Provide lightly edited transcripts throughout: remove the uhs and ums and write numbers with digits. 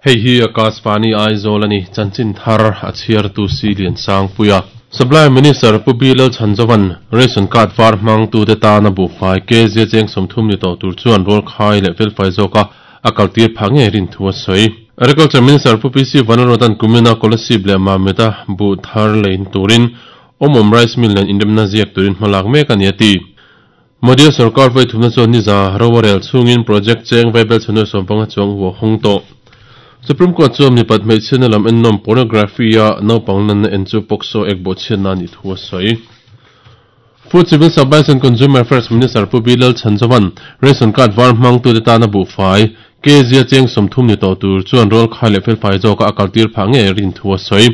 Hei hi Akashvani Aizawl a ni, chanchin thar a chhiartu Si Liansangpuia. Supply Minister Pu B Lalchhanzova'n Ration Card var hmangtute tana buhfai kg cheng 30 ni tawh tur chuan rualkhai leh felfai zawka a kaltir phah ngei rin thu a sawi. Agriculture Minister Pu PC Vanlalruata'n kumina Kolasib leh Mamit-a buh thar lein turin Awmawm Rice Mill nen inremna ziak turin hmalak mek a ni a ti. Modi sorkar vawi thumna chuan niza ro a rel chhungin project cheng vaibel chhanu 15 chuang hu a hawng tawh. Supreme Court chuan mipat hmeichhiatna lam ennawm pornography-a naupang lanna en chu POCSO ek bawhchhiatna a nih thu a sawi. Food Civil Supplies and Consumer Affairs Minister Pu B Lalchhanzova'n ration card var hmangtute tana buhfai kg-a cheng 30 ni tawh tur chuan rualkhai leh felfai zawka a kaltir phah ngei rin thu a sawi.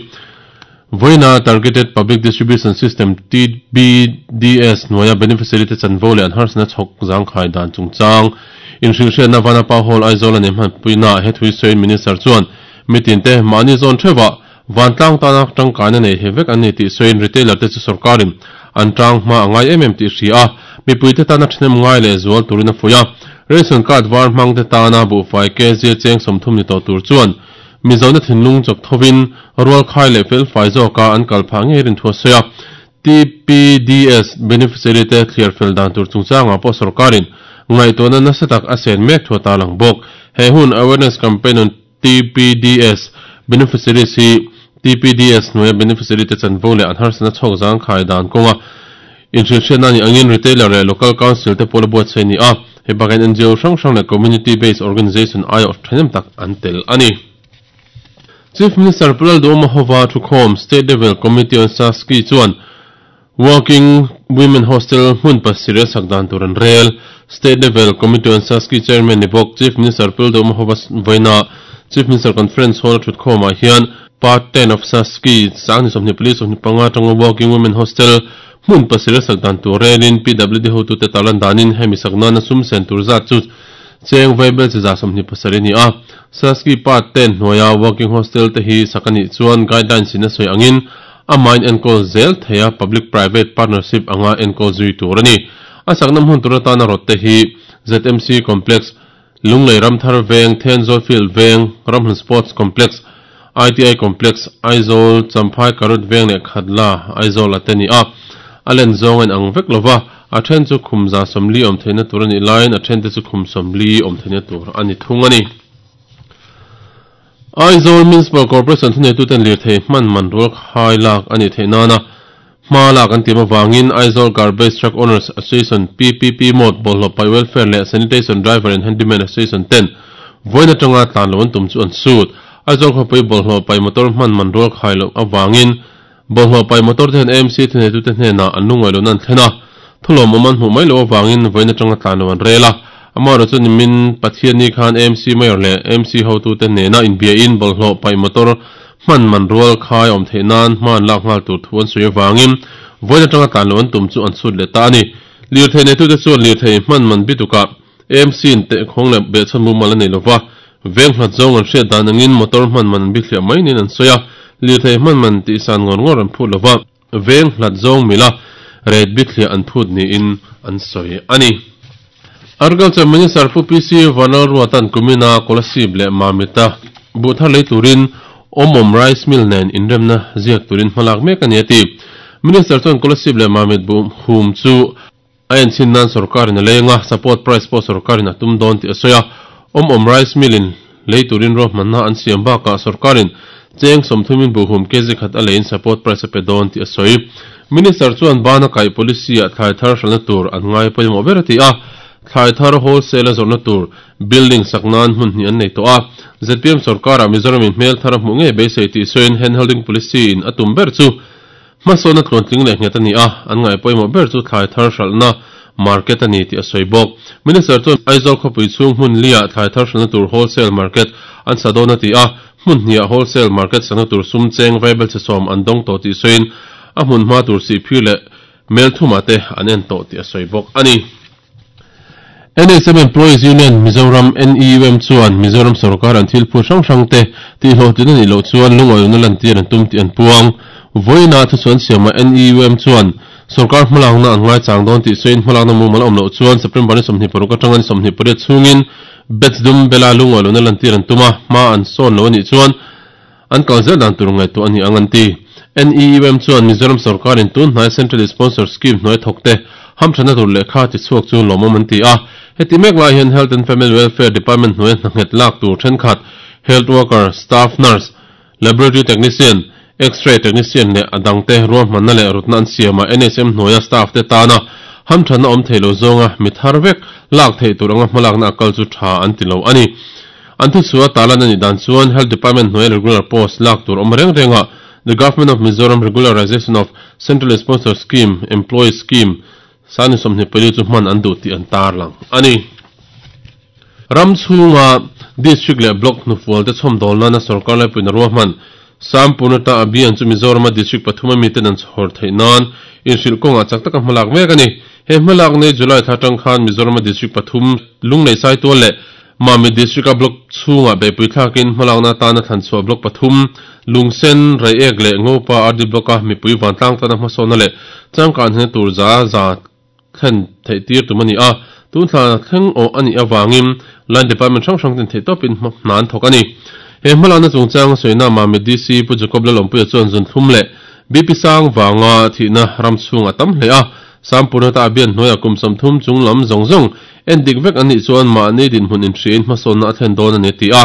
Vawiina Targeted Public Distribution System, TPDS, hnuaia beneficiary te chanvo leh an harsatna chhawk zangkhai dan chungchang inhrilhhriatna Vanapa Hall Aizawl a nei hmanpuina he thui sawiin Minister chuan mitin te mahni zawn theuhah vantlang tana tangkaina nei thei vek an ni tih sawiin retailer te chu sorkarin an tang hma a ngai em em tih hria a, mipuite tana thahnem ngai leh zual turin a fuih a. Ration card var hmang te tana buhfai kg cheng 30 ni tawh tur chuan Mizona thinlung chawk thovin rualkhai leh felfai zawka an kal phah ngei rin thu a sawi a. TPDS beneficiary te thliar fel dan tur chungchangah pawh sorkarin ngaihtuahna nasa tak a sen mek thu a tarlang bawk. He hun awareness campaign on TPDS beneficiaries hi TPDS hnuaia beneficiary te chanvo leh an harsatna chhawk zangkhai dan kawnga inhrilhhriatna anih angin retailer leh local council te pawh la buatsaih a ni a. Hei bakah hian NGO hrang hrang leh community based organisation aiawh thahnem tak an tel a ni. Chief Minister Pu Lalduhoma hova thukhawm State Level Committee on Saski chuan Working Women Hostel hmun pasarih a sak dan tur an rel. State Level Committee on Saski Chairman ni bawk Chief Minister Pu Lalduhoma hova vawiina Chief Minister Conference Hall a thutkhawmah hian Part 10 of Saski sangni 24 25 atanga Working Women Hostel hmun pasarih a sak dan tur relin PWD hotute tarlan danin hemi sak nana sum sen tur zat chu cheng vaibel chi za 27 a ni a. Saski Part 10 hnuaia Working Hostel te hi sak a nih chuan guidelines in a sawi angin a mahin enkawl zel thei a, Public Private Partnership anga enkawl zui tur a ni. A sakna hmun tur atana rawt te hi ZMC Complex, Lunglei Ramthar Veng, Thenzawl Field Veng, Ramhlun Sports Complex, ITI Complex, Aizawl, Champhai Karut Veng leh Khatla, Aizawl a te ni a. A len zawng a inang vek lo va, a then chu khum 140 awm theihna tur a nih laiin a then te chu khum 40 awm theihna tur a ni thung a ni. Aizawl Municipal Corporation thuneituten lirthei hman man rual khai lak a nih theih nana hma lak an tim avangin Aizawl Garbage Truck Owners Association, PPP Mode, Bawlhhlawh Paih Welfare leh Sanitation Driver and Handyman Association ten vawiin atanga tlan loh an tum chu an sut. Aizawl khawpui bawlhhlawh paih motor hman man rual khai loh avangin bawlhhlawh paih motor te hian AMC thuneitute hnenah an lungaih lohna an thlen a, thulawmawm an hmuh mai loh avangin vawiin atanga tlan loh an rel a. Amaherawhchu chu nimin Pathianni khan AMC Mayor leh AMC hotute nena inbiain bawlhhlawh paih motor hman man rual khai awm theih nan hma an lak nghal tur thu an sawi avangin vawiin atanga tlan loh an tum chu an chhut leh ta a ni. Lirthei neitute chuan lirthei hman man bitukah AMC in tehkhawng leh behchhan mumal a nei lova, veng hlat zawng an hriat dan angin motor hman man an bithliah mai niin an sawi a, lirthei hman man tihsan ngawr ngawr an phut lova, veng hlat zawng mila rate bithliah an phut niin an sawi a ni. Agriculture Minister Pu PC Vanlalruata'n kumina Kolasib leh Mamita buh thar lei turin Awmawm Rice Mill nen inremna ziak turin hmalak mek a ni a ti. Minister chuan Kolasib leh Mamit buh hum chu a enchin nan sorkarin a lei anga, support price pawh sorkarin a tum dawn tih a sawi a. Awmawm Rice Mill in lei turin ruahmanna an siam bakah sorkarin cheng 30 in buh hum kg khat a leiin support price a pe dawn tih a sawi. Minister chuan bana kaih policy ah thlai thar hralhna tur an ngai pawimawh ber a ti a, thlai thar wholesale a zawrhna tur building sak nan hmun hnih an nei tawh a. ZPM sorkarah Mizoram in hmel thar a hmuh ngei beisei tih sawiin handholding policy in a tum ber chu hmasawna tluantling leh nghet a ni a, an ngaih pawimawh ber chu thlai thar hralhna market a ni tih a sawi bawk. Minister chuan Aizawl khawpui chhung hmun liah thlai thar hralhna tur wholesale market an sa dawn a ti a, hmun hniah wholesale market sakna tur sum cheng vaibel chhe sawm an dawng tawh tih sawiin a hmun hma tur sihphir leh mel thumah te an en tawh tih a sawi bawk a ni. NSM Employees Union Mizoram, NEUM, chuan Mizoram sorkar an thil phut hrang hrang te tihhlawhtlin a nih loh chuan lungawiawna lantir an tum tih an puang. Vawiina thusawn siamah NEUM chuan sorkar hmalakna an ngaichang dawn tih sawiin hmalakna mumal a awm loh chuan September ni 26 atanga ni 28 chhungin Batch dum bela lungawi lohna lantir an tum a, hma an sawn lo a nih chuan an kal zel dan tur ngaihtuah a ni ang an ti. NEUM chuan Mizoram sorkarin tun hnai Central Sponsor Scheme hnuai thawkte hamthatna tur lehkha tichhuak chu lawmawm an ti a. Heti mek lai hian Health and Family Welfare Department hnuaia hna nghet lak tur thenkhat Health Worker, Staff Nurse, Laboratory Technician, X-ray Technician leh a dangte ruahmanna leh rutna an siamah NHM hnuaia staff te tana hamthatna awm thei lo zawnga mi thar vek lak theih tur anga hmalakna a kal chu tha an ti lo a ni. An thuchhuah talan a nih dan chuan Health Department hnuaia regular post lak tur awm reng rengah The Government of Mizoram Regularization of Central Sponsored Scheme Employee Scheme Sani 24 chu hman an duh tih an tarlang a ni. Ram chhunga District leh Block hnufual te chhawmdawl nana sorkar laipuiin a ruahman Sampurnata Abhiyan chu Mizorama District pathum a miten an chhawr theih nan inhrilh kawngah chak taka hmalak mek a ni. He hmalak nei July thla atang khan Mizorama District pathum Lunglei Saitual leh Mamit District-a Block chhungah beihpui thlakin hmalakna atana thlanchhuah Block pathum Lungsen, Reiek leh Ngopa RD Block-a mipui vantlang tana hmasawnna leh changkan hna tur za za thlen theih tir tum a ni a, tun thla thleng awh a nih avangin Line Department hrang hrang ten theihtawpin hna an thawk a ni. He hmalakna chungchang a sawina Mamit DC Pu Jacob Lalawmpuia chuan zunthlum leh BP sang vanga thihna ram chhung a tam hle a, Sampurnata a bian hnuaiah kum 30 chung lam zawng zawng en dik vek an nih chuan mahni dinhmun inhriain hmasawnna a thlen dawn a ni a ti a.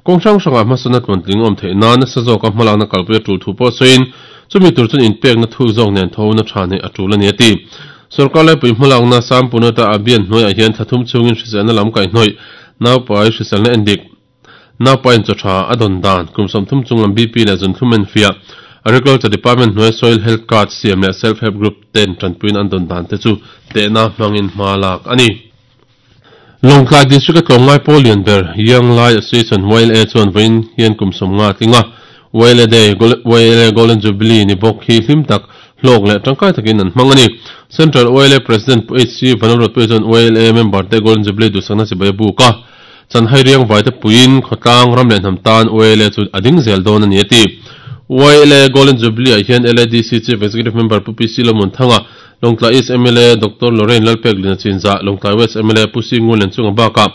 Kawng hrang hrangah hmasawnna tluantling awm theih nan nasa zawka hmalakna kalpui a tul thu pawh sawiin chumi tur chuan inpekna thuk zawk nen thona tha neih a tul a ni a ti. Sorkar laipui hmalakna Sampurnata a bian hnuaiah hian thla thum chhungin hriselna lam kaihhnawih naupai hriselna en dik Naupain chaw tha a dawn dan, kum 30 chung lam BP leh zunthlum enfiah, Agriculture Department hnuai Soil Health Card siam leh Self Help Group ten tanpuiin an dawn dan te chu tehna hmangin hma lak a ni. Lawngtlai District a tlawmngai pawl lian ber Young Lai Association, YLA, chuan vawiin hian kum 50 tling a, YLA Day, YLA Golden Jubilee ni bawk hi hlim tak, hlawk leh tangkai takin an hmang a ni. Central YLA President Pu HC Vanlalruatpuia chuan YLA member te Golden Jubilee duhsakna chibai a buk a. Chanhai riang vaite puiin khawtlang ram leh hnam tan YLA chu a ding zel dawn a ni a ti. YLA Golden Jubilee ah hian LADC Chief Executive Member Pu PC Lalmuanthanga, Lawngtlai East mla Doctor Lorraine Lalpek Lina Chinzah, Lawngtlai West mla Pu C Ngun Lianchunga bakah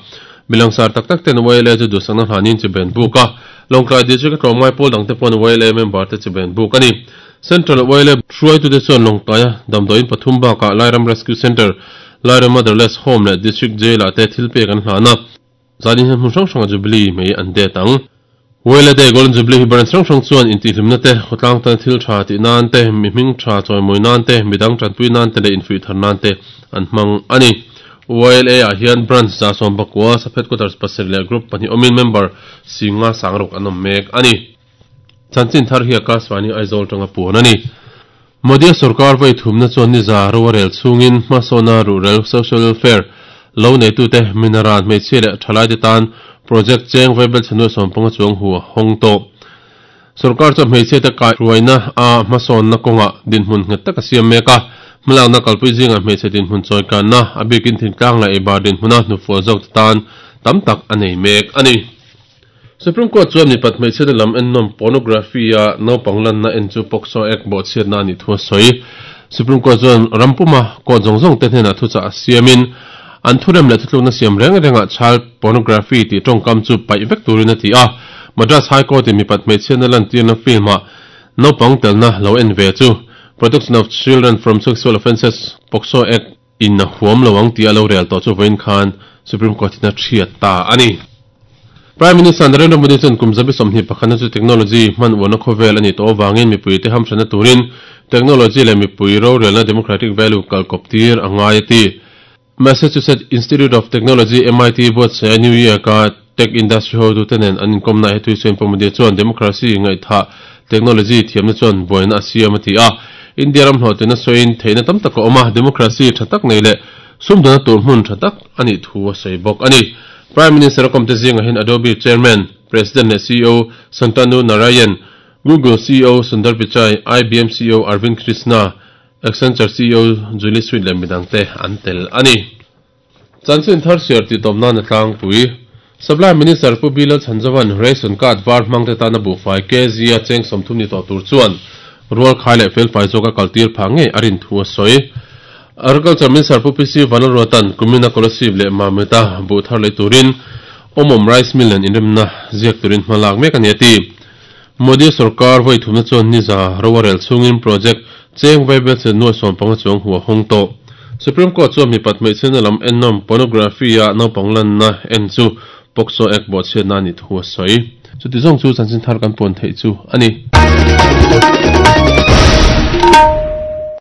milangsar tak tak ten YLA chu duhsakna hlanin chibai an buk a. Lawngtlai District a tlawmngai pawl dangte pawn YLA member te chibai an buk a ni. Central YLA hruaitute chuan Lawngtlaia damdawiin pathum bakah Lairam Rescue Centre, Lairam Motherless Home leh District Jail ah te thil pek an hlan a, zanin hian hmun hrang hrangah Jubilee mai an det ang. Wela Day Golden Jubilee hi branch hrang hrang chuan intihhlimna te, khawtlang tana thil tha tih nan te, mi hming tha chawimawi nan te, midang tanpui nan te leh infuih thar nan te an hmang a ni. YLA ah hian branch 119, sub headquarters pasarih leh group pahnih awmin member singa sangruk an awm mek a ni. Chanchin thar hi Akashvani Aizawl tanga puan a ni. Modi-a sorkar vawi thumna chuan niza ro a rel chhungin hmasawnna ruhrel, social welfare, lo neitute, minaran, hmeichhia leh thalaite tan project cheng vaibel chhe nuai 15 chuang hu a hawng tawh. Sorkar chuan hmeichhiate kaihruaina a hmasawnna kawngah dinhmun nghet tak a siam mek a, hmalakna kalpui zingah hmeichhe dinhmun chawikanna, a bikin thingtlang leh eibar dinhmuna hnufual zawkte tan tam tak a nei mek a ni. Supreme Court chuan mipat hmeichhiatna lam ennawm pornography a naupang lanna en chu POCSO Act bawhchhiatna a nih thu a sawi. Supreme Court chuan ram puma court zawng zawng te hnenah thuchah a siamin an thurem leh thutlukna siam reng rengah child pornography tih tawngkam chu paih vek turin a ti a. Madras High Court in mipat hmeichhiatna lantirna film ah naupang telna lo en ve chu Protection of Children from Sexual Offences, POCSO Act, in a huam lo ang tih a lo rel tawh chu vawiin khan Supreme Court in a thiat ta a ni. Prime Minister Narendra Modi chuan kum 21 na chu technology hman uarna khawvel a nih tawh avangin mipuite hamhranna turin technology leh mipui rorelna democratic value kalkawp tir a ngai a ti. Massachusetts Institute of Technology, MIT, buatsaia New York-a tech industry hotute nen an inkawmna ah hetui chuan Pu Modi chuan democracy ngaihthah technology thiamna chuan buaina a siam a ti a. India ram hlawhtlinna sawiin theihna tam tak a awm a, democracy tha tak nei leh sumdawna tur hmun tha tak a nih thu a sawi bawk a ni. Prime Minister a kawmte zingah hian Adobe Chairman, President leh CEO Shantanu Narayen, Google CEO Sundar Pichai, IBM CEO Arvind Krishna, Accenture CEO Julie Sweet leh midangte an tel a ni. Chanchin thar siar tih tawp nan a tlangpui. Supply Minister Pu Bilal Chhanzovan ration card var hmangte tana buhfai kg a cheng 30 ni tawh tur chuan rual khai leh felfai zawk a kaltir phah ngei a rin thu a sawi. Agriculture Minister Pu PC Vanlalruatan kumina Kolasib leh Mamita buh thar lei turin Awmawm Rice Mill nen inremna ziak turin hma lak mek a ni a ti. Modi sorkar vawi thumna chuan niza ro a rel chungin project cheng vaibel che nuai 15 chuang hu a hawng tawh. Supreme Court chuan mipat hmeichhiatna lam ennawm pornography-a naupang lanna en chu POCSO Act bawhchhiatna a nih thu a sawi. Chuti zawng chu chanchin thar kan puan theih chu a ni.